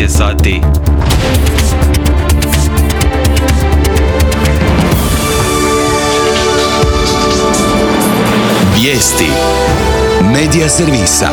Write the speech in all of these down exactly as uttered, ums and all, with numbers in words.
je sati. Vijesti Medija servisa.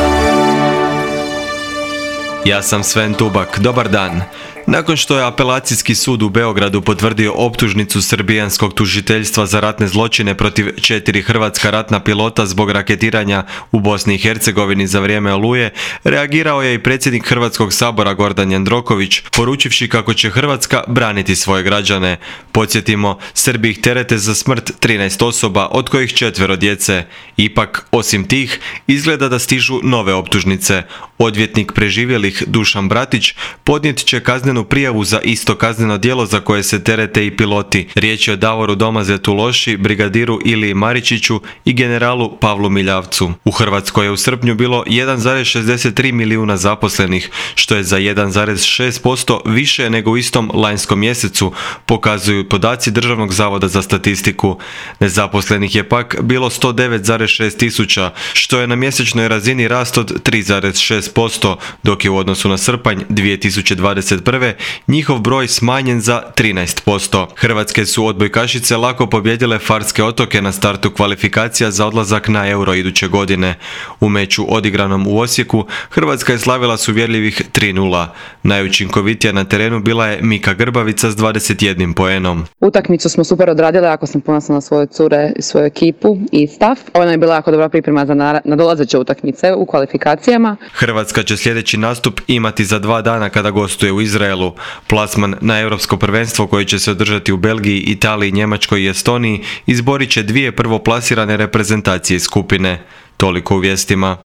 Ja sam Sven Tubak, dobar dan. Nakon što je apelacijski sud u Beogradu potvrdio optužnicu srbijanskog tužiteljstva za ratne zločine protiv četiri hrvatska ratna pilota zbog raketiranja u Bosni i Hercegovini za vrijeme Oluje, reagirao je i predsjednik Hrvatskog sabora Gordan Jandroković, poručivši kako će Hrvatska braniti svoje građane. Podsjetimo, Srbi ih terete za smrt trinaest osoba, od kojih četvero djece. Ipak, osim tih, izgleda da stižu nove optužnice. Odvjetnik preživjelih Dušan Bratić podnijet će kaznenu prijavu za isto kazneno djelo za koje se terete i piloti. Riječ je o Davoru Domazetu Loši, brigadiru Iliji Maričiću i generalu Pavlu Miljavcu. U Hrvatskoj je u srpnju bilo jedan zarez šezdeset tri milijuna zaposlenih, što je za jedan zarez šest posto više nego u istom lanjskom mjesecu, pokazuju podaci Državnog zavoda za statistiku. Nezaposlenih je pak bilo sto devet zarez šest tisuća, što je na mjesečnoj razini rast od tri zarez šest posto, dok je u odnosu na srpanj dvije tisuće dvadeset prve njihov broj smanjen za trinaest posto. Hrvatske su odbojkašice lako pobijedile Farske otoke na startu kvalifikacija za odlazak na Euro iduće godine. U meču odigranom u Osijeku Hrvatska je slavila s uvjerljivih tri nula. Najučinkovitija na terenu bila je Mika Grbavica s dvadeset jednim poenom. Utakmicu smo super odradile, ako sam ponosna na svoje cure i svoju ekipu i stav. Ovo nam je bila jako dobra priprema za nadolazeće utakmice u kvalifikacijama. Hrvatska će sljedeći nastup imati za dva dana kada gostuje u Izraelu. Plasman na europsko prvenstvo koje će se održati u Belgiji, Italiji, Njemačkoj i Estoniji izborit će dvije prvoplasirane reprezentacije iz skupine. Toliko u vijestima.